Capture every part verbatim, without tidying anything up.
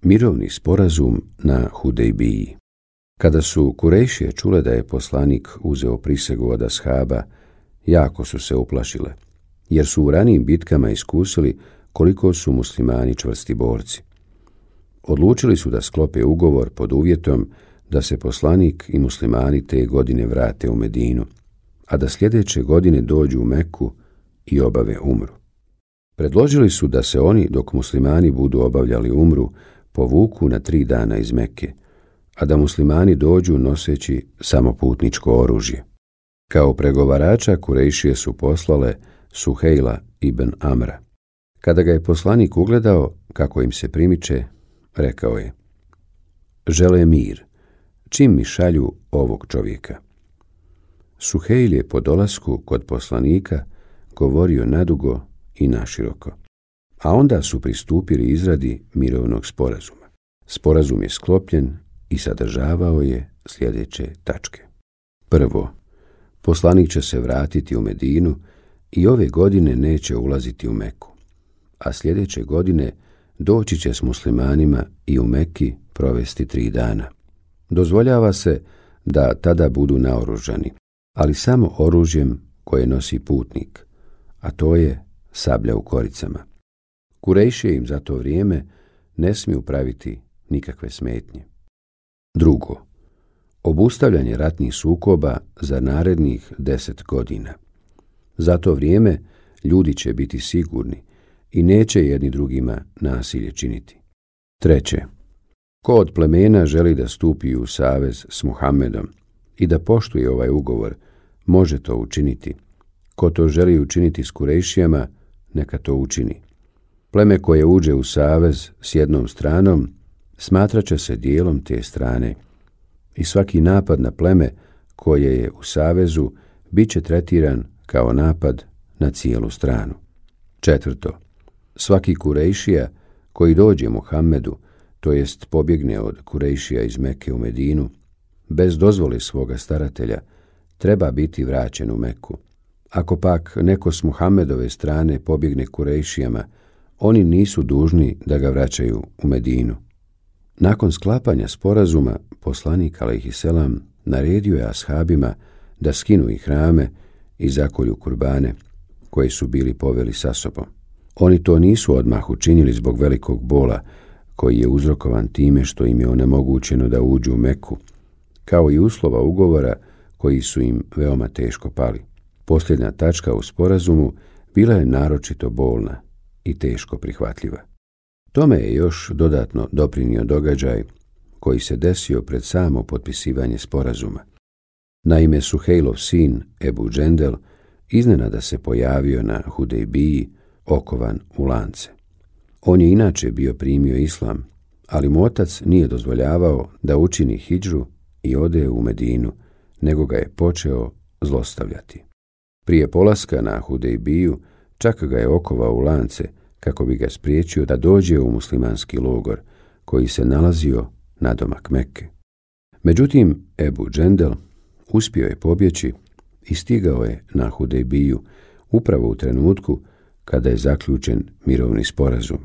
Mirovni sporazum na Hudejbiji. Kada su Kurejšije čule da je poslanik uzeo prisegu od ashaba, jako su se uplašile, jer su u ranijim bitkama iskusili koliko su muslimani čvrsti borci. Odlučili su da sklope ugovor pod uvjetom da se poslanik i muslimani te godine vrate u Medinu, a da sljedeće godine dođu u Meku i obave umru. Predložili su da se oni, dok muslimani budu obavljali umru, povuku na tri dana iz Mekke, a da muslimani dođu noseći samo putničko oružje. Kao pregovarača Kurejšije su poslale Suhejla ibn Amra. Kada ga je poslanik ugledao kako im se primiče, rekao je: žele mir, čim mi šalju ovog čovjeka. Suhejl je po dolasku kod poslanika govorio nadugo i naširoko, a onda su pristupili izradi mirovnog sporazuma. Sporazum je sklopljen i sadržavao je sljedeće tačke. Prvo, poslanik će se vratiti u Medinu i ove godine neće ulaziti u Meku, a sljedeće godine doći će s muslimanima i u Meki provesti tri dana. Dozvoljava se da tada budu naoružani, ali samo oružjem koje nosi putnik, a to je sablja u koricama. Kurejšije im za to vrijeme ne smiju praviti nikakve smetnje. Drugo, obustavljanje ratnih sukoba za narednih deset godina. Za to vrijeme ljudi će biti sigurni i neće jedni drugima nasilje činiti. Treće, ko od plemena želi da stupi u savez s Muhammedom i da poštuje ovaj ugovor, može to učiniti. Ko to želi učiniti s Kurejšijama, neka to učini. Pleme koje uđe u savez s jednom stranom smatrat će se dijelom te strane i svaki napad na pleme koje je u savezu bit će tretiran kao napad na cijelu stranu. Četvrto, svaki Kurejšija koji dođe Muhammedu, to jest pobjegne od Kurejšija iz Mekke u Medinu, bez dozvole svoga staratelja, treba biti vraćen u Meku. Ako pak neko s Muhammedove strane pobjegne Kurejšijama, oni nisu dužni da ga vraćaju u Medinu. Nakon sklapanja sporazuma, poslanik alejhiselam naredio je ashabima da skinu ihrame i zakolju kurbane, koje su bili poveli sa sobom. Oni to nisu odmah učinili zbog velikog bola, koji je uzrokovan time što im je onemogućeno da uđu u Meku, kao i uslova ugovora koji su im veoma teško pali. Posljednja tačka u sporazumu bila je naročito bolna i teško prihvatljiva. Tome je još dodatno doprinio događaj koji se desio pred samo potpisivanje sporazuma. Naime, Suhejlov sin Ebu Džendel iznenada se pojavio na Hudejbiji okovan u lance. On je inače bio primio islam, ali mu otac nije dozvoljavao da učini hidžru i ode u Medinu, nego ga je počeo zlostavljati. Prije polaska na Hudejbiju čak ga je okovao u lance kako bi ga spriječio da dođe u muslimanski logor koji se nalazio nadomak Mekke. Međutim, Ebu Džendel uspio je pobjeći i stigao je na Hudejbiju upravo u trenutku kada je zaključen mirovni sporazum.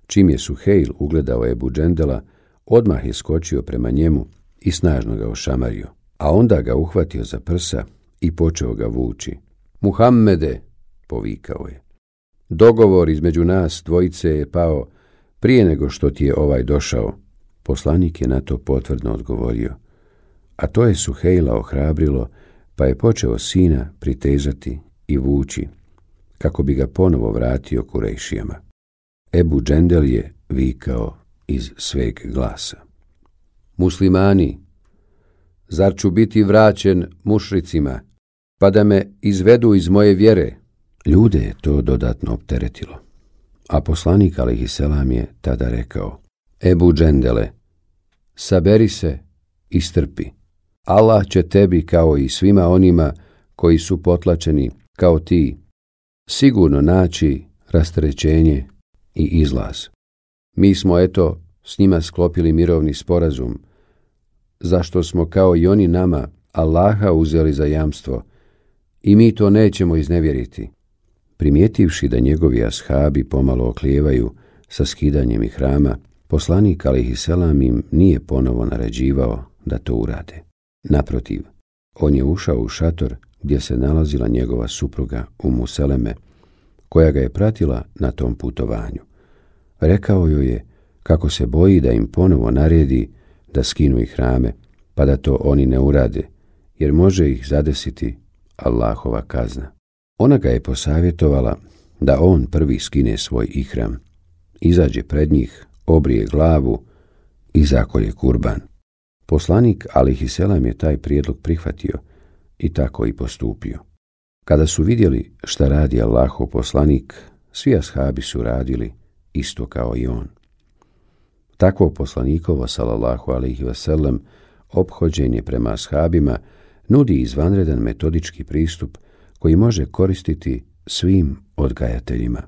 Čim je Suhejl ugledao Ebu Džendela, odmah je skočio prema njemu i snažno ga ošamario, a onda ga uhvatio za prsa i počeo ga vući. Muhammede, povikao je, dogovor između nas dvojice je pao prije nego što ti je ovaj došao. Poslanik je na to potvrdno odgovorio, a to je Suhejla ohrabrilo, pa je počeo sina pritezati i vući, kako bi ga ponovo vratio Kurejšijama. Ebu Džendel je vikao iz sveg glasa: Muslimani, zar ću biti vraćen mušricima, pa da me izvedu iz moje vjere? Ljude je to dodatno opteretilo, a poslanik alejhiselam je tada rekao: Ebu Džendele, saberi se i strpi. Allah će tebi kao i svima onima koji su potlačeni kao ti sigurno naći rasterećenje i izlaz. Mi smo eto s njima sklopili mirovni sporazum, zašto smo kao i oni nama Allaha uzeli za jamstvo i mi to nećemo iznevjeriti. Primijetivši da njegovi ashabi pomalo oklijevaju sa skidanjem ihrama, Poslanik alejhiselam im nije ponovo naređivao da to urade. Naprotiv, on je ušao u šator gdje se nalazila njegova supruga Umu Seleme, koja ga je pratila na tom putovanju. Rekao joj je kako se boji da im ponovo naredi da skinu ihrame, pa da to oni ne urade, jer može ih zadesiti Allahova kazna. Ona ga je posavjetovala da on prvi skine svoj ihram, izađe pred njih, obrije glavu i zakolje kurban. Poslanik alejhiselam je taj prijedlog prihvatio i tako i postupio. Kada su vidjeli šta radi Allahov poslanik, svi ashabi su radili isto kao i on. Takvo poslanikovo sallallahu alejhi ve sellem ophođenje prema ashabima nudi izvanredan metodički pristup koji može koristiti svim odgajateljima.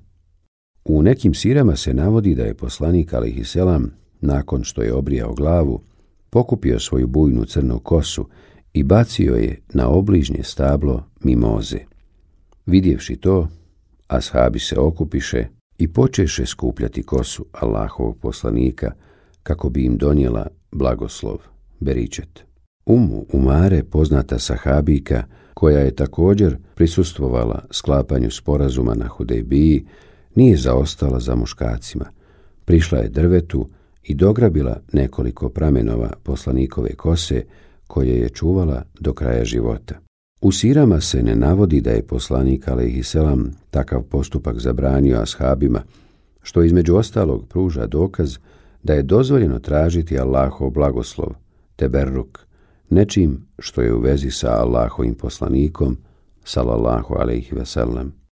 U nekim sirama se navodi da je poslanik alejhiselam, nakon što je obrijao glavu, pokupio svoju bujnu crnu kosu i bacio je na obližnje stablo mimoze. Vidjevši to, ashabi se okupiše i počeše skupljati kosu Allahovog poslanika kako bi im donijela blagoslov, beričet. Umu Umare, poznata sahabijka, koja je također prisustvovala sklapanju sporazuma na Hudejbiji, nije zaostala za muškacima. Prišla je drvetu i dograbila nekoliko pramenova poslanikove kose koje je čuvala do kraja života. U sirama se ne navodi da je poslanik alejhiselam takav postupak zabranio ashabima, što između ostalog pruža dokaz da je dozvoljeno tražiti Allahov blagoslov, teberruk, nečim što je u vezi sa Allahovim poslanikom, sallallahu alejhi ve sellem.